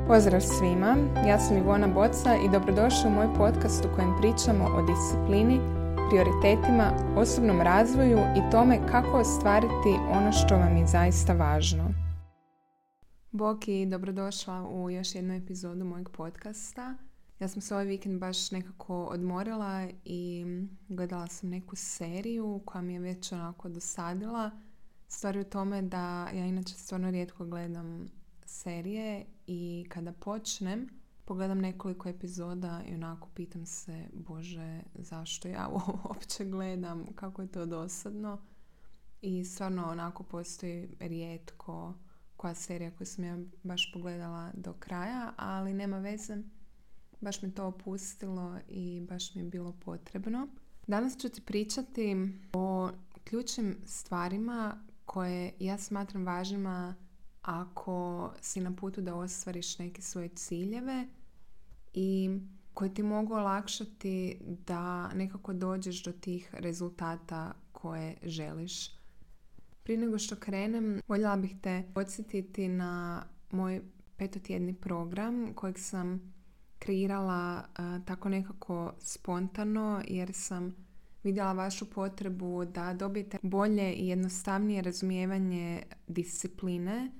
Pozdrav svima, ja sam Ivona Boca i dobrodošli u moj podcast u kojem pričamo o disciplini, prioritetima, osobnom razvoju i tome kako ostvariti ono što vam je zaista važno. Bok i dobrodošla u još jednu epizodu mojeg podcasta. Ja sam se ovaj vikend baš nekako odmorila i gledala sam neku seriju koja mi je već onako dosadila. Stvar je u tome da ja inače stvarno rijetko gledam serije i kada počnem, pogledam nekoliko epizoda i onako pitam se, Bože, zašto ja ovo uopće gledam, kako je to dosadno. I stvarno onako postoji rijetko koja serija koju sam ja baš pogledala do kraja, ali nema veze. Baš me to opustilo i baš mi je bilo potrebno. Danas ću ti pričati o ključnim stvarima koje ja smatram važnima ako si na putu da ostvariš neke svoje ciljeve i koji ti mogu olakšati da nekako dođeš do tih rezultata koje želiš. Prije nego što krenem, voljela bih te podsjetiti na moj 5-tjedni program kojeg sam kreirala tako nekako spontano jer sam vidjela vašu potrebu da dobijete bolje i jednostavnije razumijevanje discipline,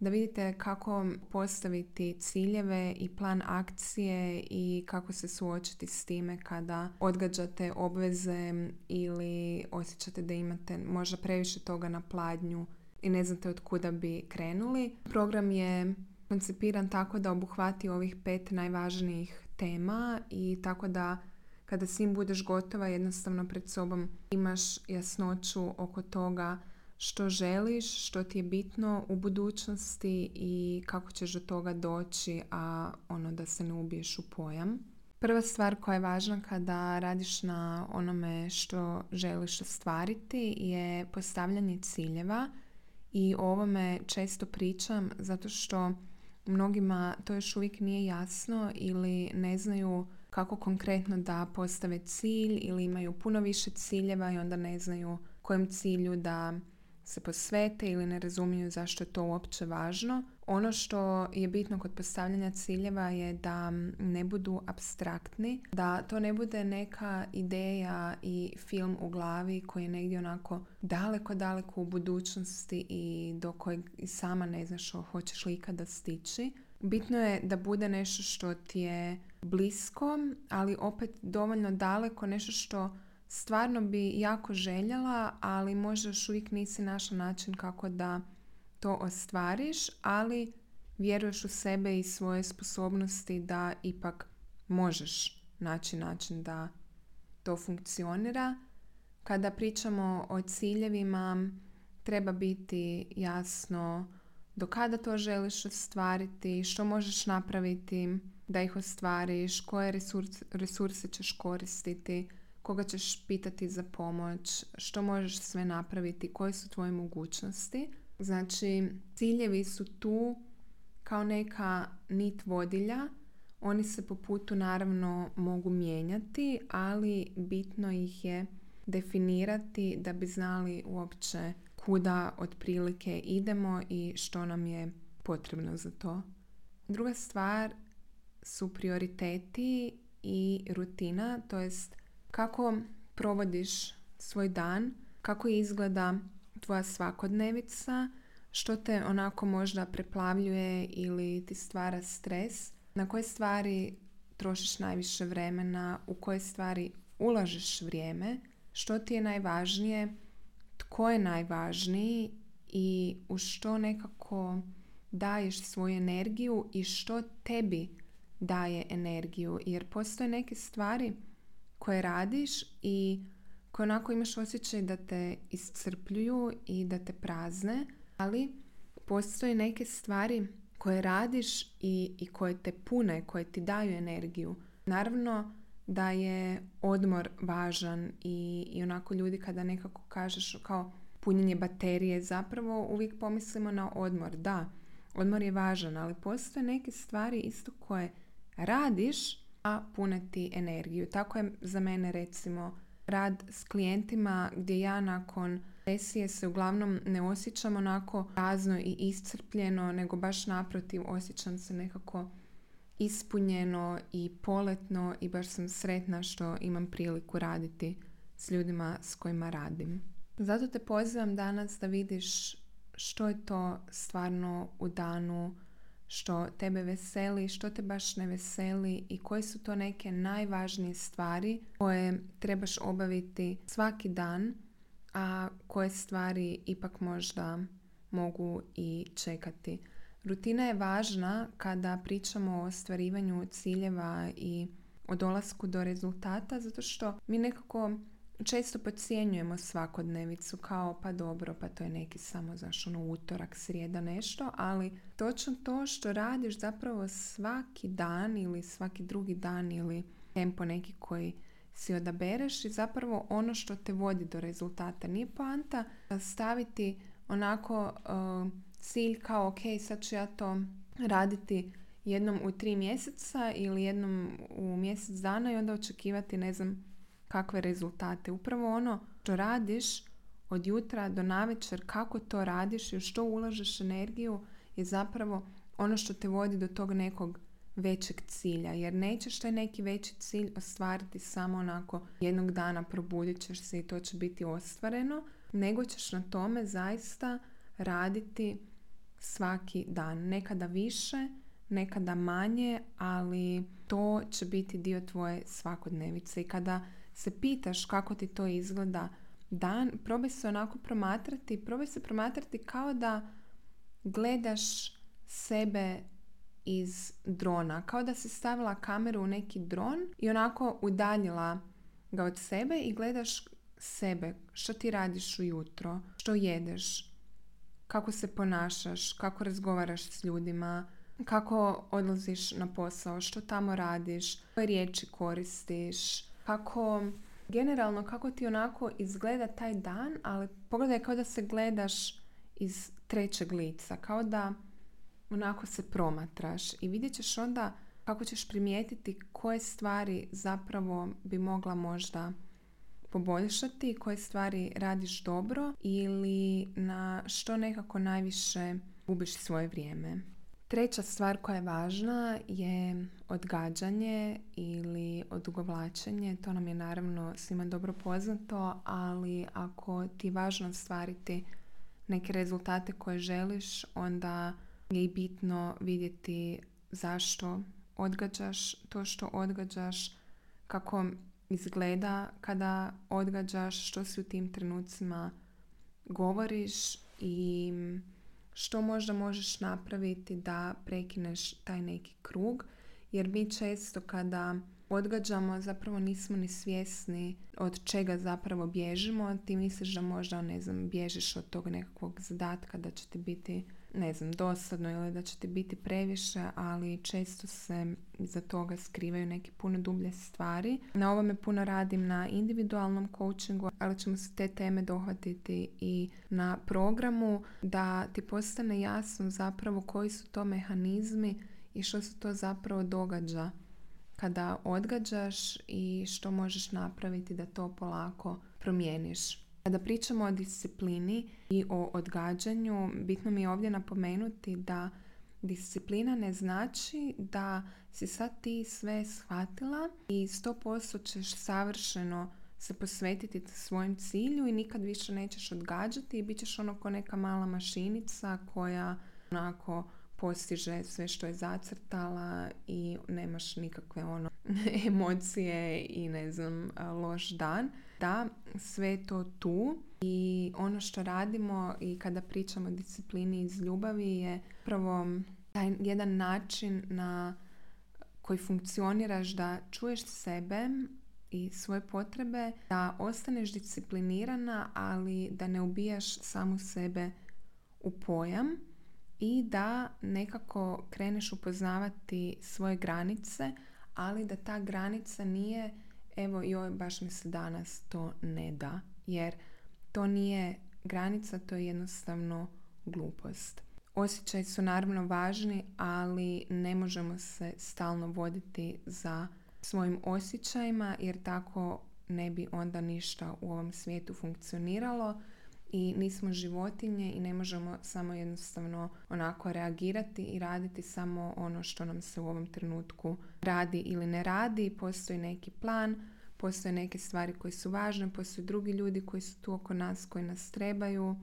da vidite kako postaviti ciljeve i plan akcije i kako se suočiti s time kada odgađate obveze ili osjećate da imate možda previše toga na pladnju i ne znate od kuda bi krenuli. Program je koncipiran tako da obuhvati ovih 5 najvažnijih tema i tako da kada s njim budeš gotova, jednostavno pred sobom imaš jasnoću oko toga što želiš, što ti je bitno u budućnosti i kako ćeš do toga doći, a da se ne ubiješ u pojam. Prva stvar koja je važna kada radiš na onome što želiš ostvariti je postavljanje ciljeva i o ovome često pričam zato što mnogima to još uvijek nije jasno ili ne znaju kako konkretno da postave cilj ili imaju puno više ciljeva i onda ne znaju kojem cilju da se posvete ili ne razumiju zašto je to uopće važno. Ono što je bitno kod postavljanja ciljeva je da ne budu apstraktni, da to ne bude neka ideja i film u glavi koji je negdje onako daleko u budućnosti i do kojeg i sama ne znaš hoćeš li ikada stići. Bitno je da bude nešto što ti je blisko, ali opet dovoljno daleko, nešto što stvarno bi jako željela, ali možda još uvijek nisi našla način kako da to ostvariš, ali vjeruješ u sebe i svoje sposobnosti da ipak možeš naći način da to funkcionira. Kada pričamo o ciljevima, treba biti jasno do kada to želiš ostvariti, što možeš napraviti da ih ostvariš, koje resurse ćeš koristiti, koga ćeš pitati za pomoć, što možeš sve napraviti, koje su tvoje mogućnosti. Znači, ciljevi su tu kao neka nit vodilja. Oni se po putu naravno mogu mijenjati, ali bitno ih je definirati da bi znali uopće kuda otprilike idemo i što nam je potrebno za to. Druga stvar su prioriteti i rutina, to jest kako provodiš svoj dan, kako izgleda tvoja svakodnevica, što te onako možda preplavljuje ili ti stvara stres, na koje stvari trošiš najviše vremena, u koje stvari ulažeš vrijeme, što ti je najvažnije, tko je najvažniji i u što nekako daješ svoju energiju i što tebi daje energiju. Jer postoje neke stvari koje radiš i koje onako imaš osjećaj da te iscrpljuju i da te prazne, ali postoje neke stvari koje radiš i koje te pune, koje ti daju energiju. Naravno da je odmor važan i onako ljudi kada nekako kažeš kao punjenje baterije, zapravo uvijek pomislimo na odmor. Da, odmor je važan, ali postoje neke stvari isto koje radiš, a pune ti energiju. Tako je za mene recimo rad s klijentima gdje ja nakon sesije se uglavnom ne osjećam onako prazno i iscrpljeno, nego baš naprotiv, osjećam se nekako ispunjeno i poletno i baš sam sretna što imam priliku raditi s ljudima s kojima radim. Zato te pozivam danas da vidiš što je to stvarno u danu što tebe veseli, što te baš ne veseli i koje su to neke najvažnije stvari koje trebaš obaviti svaki dan, a koje stvari ipak možda mogu i čekati. Rutina je važna kada pričamo o ostvarivanju ciljeva i o dolasku do rezultata, zato što mi nekako često podcjenjujemo svakodnevicu kao pa dobro, pa to je neki samo utorak, srijeda, nešto, ali točno to što radiš zapravo svaki dan ili svaki drugi dan ili tempo neki koji si odabereš i zapravo ono što te vodi do rezultata. Nije poanta staviti onako cilj kao ok, sad ću ja to raditi jednom u 3 mjeseca ili jednom u mjesec dana i onda očekivati ne znam kakve rezultate. Upravo ono što radiš od jutra do navečer, kako to radiš i u što ulažeš energiju je zapravo ono što te vodi do tog nekog većeg cilja. Jer nećeš taj neki veći cilj ostvariti samo onako jednog dana probudit ćeš se i to će biti ostvareno, nego ćeš na tome zaista raditi svaki dan. Nekada više, nekada manje, ali to će biti dio tvoje svakodnevice. I kada se pitaš kako ti to izgleda dan, probaj se onako promatrati kao da gledaš sebe iz drona, kao da si stavila kameru u neki dron i onako udaljila ga od sebe i gledaš sebe, što ti radiš ujutro, što jedeš, kako se ponašaš, kako razgovaraš s ljudima, kako odlaziš na posao, što tamo radiš, koje riječi koristiš, generalno kako ti onako izgleda taj dan, ali pogledaj kao da se gledaš iz trećeg lica, kao da onako se promatraš i vidjet ćeš onda kako ćeš primijetiti koje stvari zapravo bi mogla možda poboljšati, koje stvari radiš dobro ili na što nekako najviše gubiš svoje vrijeme. Treća stvar koja je važna je odgađanje ili odugovlačenje. To nam je naravno svima dobro poznato, ali ako ti je važno ostvariti neke rezultate koje želiš, onda je i bitno vidjeti zašto odgađaš to što odgađaš, kako izgleda kada odgađaš, što si u tim trenucima govoriš i što možda možeš napraviti da prekineš taj neki krug, jer mi često kada odgađamo zapravo nismo ni svjesni od čega zapravo bježimo. Ti misliš da možda, bježiš od tog nekakvog zadatka, da će ti biti, dosadno ili da će ti biti previše, ali često se iza toga skrivaju neke puno dublje stvari. Na ovome puno radim na individualnom coachingu, ali ćemo se te teme dohvatiti i na programu da ti postane jasno zapravo koji su to mehanizmi i što se to zapravo događa kada odgađaš i što možeš napraviti da to polako promijeniš. Kada pričamo o disciplini i o odgađanju, bitno mi je ovdje napomenuti da disciplina ne znači da si sad ti sve shvatila i 100% ćeš savršeno se posvetiti svojem cilju i nikad više nećeš odgađati i bit ćeš ono ko neka mala mašinica koja onako postiže sve što je zacrtala i nemaš nikakve emocije i loš dan. Da, sve je to tu i ono što radimo i kada pričamo o disciplini iz ljubavi je prvo taj jedan način na koji funkcioniraš da čuješ sebe i svoje potrebe, da ostaneš disciplinirana, ali da ne ubijaš samu sebe u pojam i da nekako kreneš upoznavati svoje granice, ali da ta granica nije baš mi se danas to ne da, jer to nije granica, to je jednostavno glupost. Osjećaji su naravno važni, ali ne možemo se stalno voditi za svojim osjećajima, jer tako ne bi onda ništa u ovom svijetu funkcioniralo i nismo životinje i ne možemo samo jednostavno onako reagirati i raditi samo ono što nam se u ovom trenutku radi ili ne radi. Postoji neki plan, postoje neke stvari koje su važne, postoje drugi ljudi koji su tu oko nas, koji nas trebaju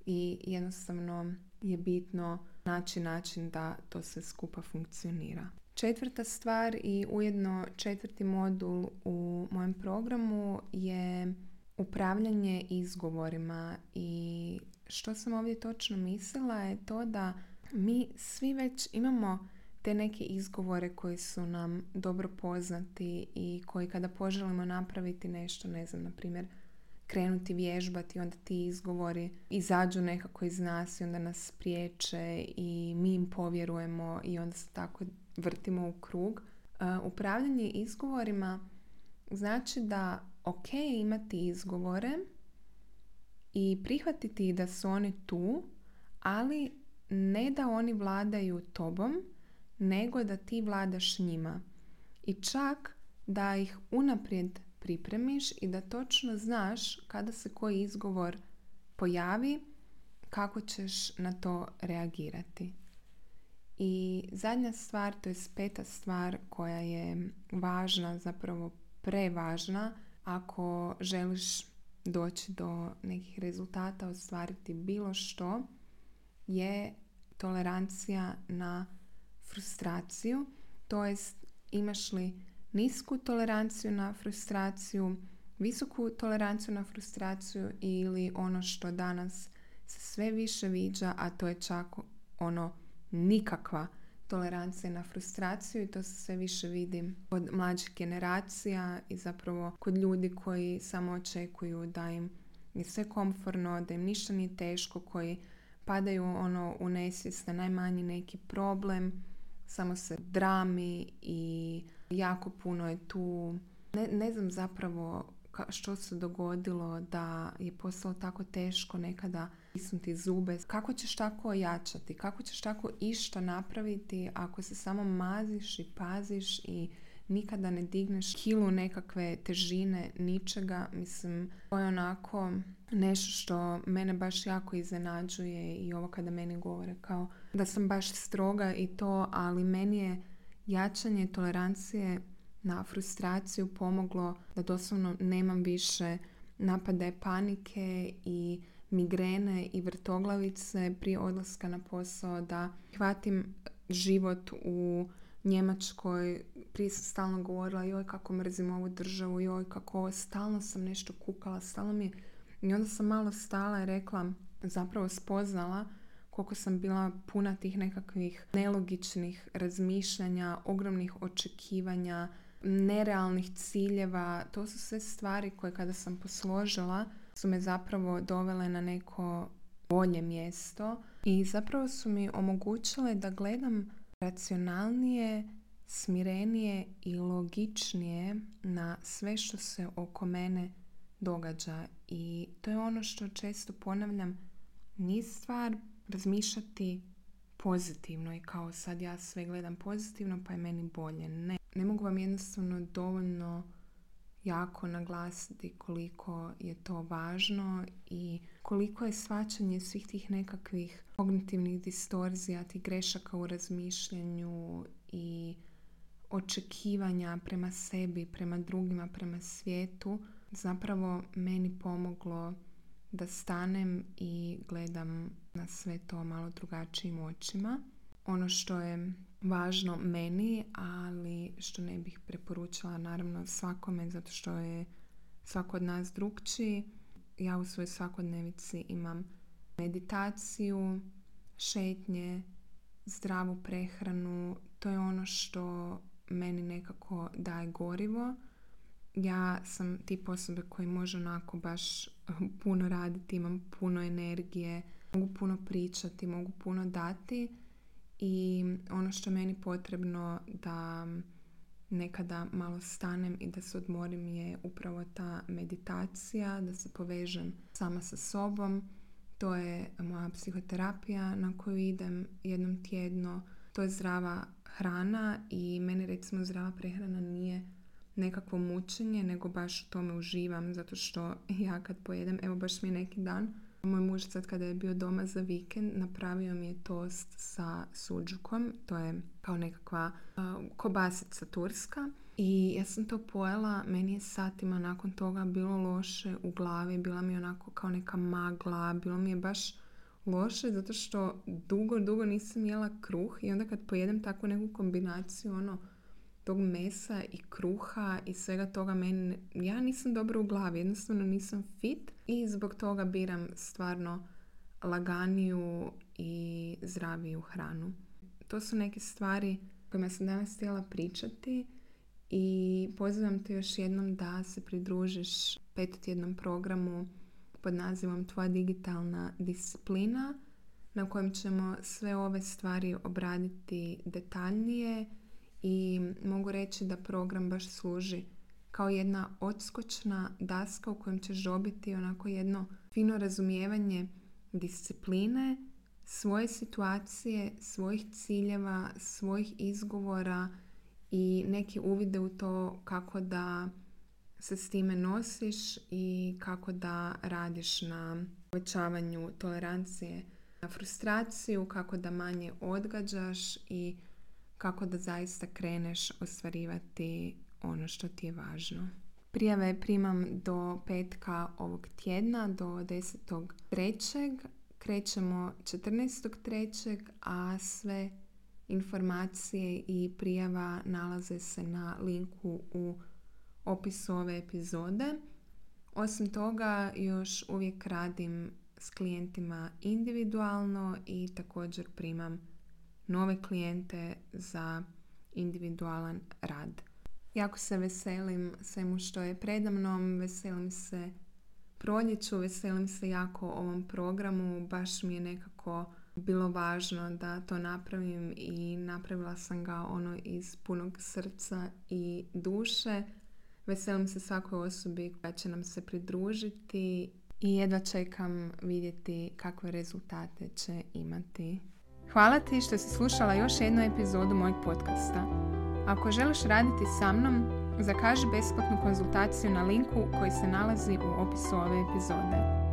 i jednostavno je bitno naći način da to sve skupa funkcionira. Četvrta stvar i ujedno četvrti modul u mojem programu je upravljanje izgovorima. I što sam ovdje točno mislila je to da mi svi već imamo te neke izgovore koji su nam dobro poznati i koji kada poželimo napraviti nešto, ne znam, na primjer krenuti vježbati, onda ti izgovori izađu nekako iz nas i onda nas priječe i mi im povjerujemo i onda se tako vrtimo u krug. Upravljanje izgovorima znači da ok imati izgovore i prihvatiti da su oni tu, ali ne da oni vladaju tobom, nego da ti vladaš njima. I čak da ih unaprijed pripremiš i da točno znaš kada se koji izgovor pojavi, kako ćeš na to reagirati. I zadnja stvar, to je peta stvar koja je važna, zapravo prevažna, ako želiš doći do nekih rezultata, ostvariti bilo što, je tolerancija na frustraciju. To jest, imaš li nisku toleranciju na frustraciju, visoku toleranciju na frustraciju ili ono što danas se sve više viđa, a to je čak ono nikakva tolerancija na frustraciju i to se sve više vidi kod mlađih generacija i zapravo kod ljudi koji samo očekuju da im je sve komforno, da im ništa nije teško, koji padaju u nesvijest na najmanji neki problem, samo se drami i jako puno je tu. Ne znam zapravo što se dogodilo da je postalo tako teško nekada stisnuti zube. Kako ćeš tako ojačati? Kako ćeš tako išta napraviti ako se samo maziš i paziš i nikada ne digneš kilu nekakve težine, ničega? Mislim, to je onako nešto što mene baš jako iznenađuje i ovo kada meni govore kao da sam baš stroga i to, ali meni je jačanje tolerancije na frustraciju pomoglo da doslovno nemam više napade panike i migrene i vrtoglavice prije odlaska na posao, da hvatim život u Njemačkoj. Prije sam stalno govorila joj kako mrzim ovu državu, joj kako ovo, stalno sam nešto kukala, stalno mi je. I onda sam malo stala i rekla, zapravo spoznala koliko sam bila puna tih nekakvih nelogičnih razmišljanja, ogromnih očekivanja, nerealnih ciljeva. To su sve stvari koje kada sam posložila su me zapravo dovele na neko bolje mjesto i zapravo su mi omogućile da gledam racionalnije, smirenije i logičnije na sve što se oko mene događa. I to je ono što često ponavljam, nije stvar razmišljati pozitivno i kao sad ja sve gledam pozitivno pa je meni bolje. Ne mogu vam jednostavno dovoljno jako naglasiti koliko je to važno i koliko je shvaćanje svih tih nekakvih kognitivnih distorzija, tih grešaka u razmišljanju i očekivanja prema sebi, prema drugima, prema svijetu zapravo meni pomoglo da stanem i gledam na sve to malo drugačijim očima. Ono što je važno meni, ali što ne bih preporučila naravno svakome, zato što je svako od nas drukčiji. Ja u svojoj svakodnevici imam meditaciju, šetnje, zdravu prehranu. To je ono što meni nekako daje gorivo. Ja sam tip osobe koji može onako baš puno raditi, imam puno energije, mogu puno pričati, mogu puno dati i ono što je meni potrebno da nekada malo stanem i da se odmorim je upravo ta meditacija, da se povežem sama sa sobom. To je moja psihoterapija na koju idem jednom tjedno. To je zdrava hrana i meni recimo zdrava prehrana nije nekakvo mučenje, nego baš u tome uživam, zato što ja kad pojedem, evo baš mi je neki dan Moj muž sad kada je bio doma za vikend napravio mi je tost sa suđukom. To je kao nekakva kobasica turska. I ja sam to pojela, meni je satima nakon toga bilo loše u glavi, bila mi je onako kao neka magla, bilo mi je baš loše zato što dugo nisam jela kruh i onda kad pojedem takvu neku kombinaciju tog mesa i kruha i svega toga, ja nisam dobro u glavi, jednostavno nisam fit i zbog toga biram stvarno laganiju i zdraviju hranu. To su neke stvari kojima sam danas htjela pričati i pozivam te još jednom da se pridružiš 5-tjednom programu pod nazivom Tvoja digitalna disciplina, na kojem ćemo sve ove stvari obraditi detaljnije i mogu reći da program baš služi kao jedna odskočna daska u kojem ćeš dobiti onako jedno fino razumijevanje discipline, svoje situacije, svojih ciljeva, svojih izgovora i neki uvide u to kako da se s time nosiš i kako da radiš na povećavanju tolerancije na frustraciju, kako da manje odgađaš i kako da zaista kreneš ostvarivati ono što ti je važno. Prijave primam do petka ovog tjedna, do 10.3. Krećemo 14.3. a sve informacije i prijava nalaze se na linku u opisu ove epizode. Osim toga, još uvijek radim s klijentima individualno i također primam nove klijente za individualan rad. Jako se veselim svemu što je predamnom, veselim se proljeću, veselim se jako ovom programu, baš mi je nekako bilo važno da to napravim i napravila sam ga iz punog srca i duše. Veselim se svakoj osobi koja će nam se pridružiti i jedva čekam vidjeti kakve rezultate će imati. Hvala ti što si slušala još jednu epizodu mojeg podcasta. Ako želiš raditi sa mnom, zakaži besplatnu konzultaciju na linku koji se nalazi u opisu ove epizode.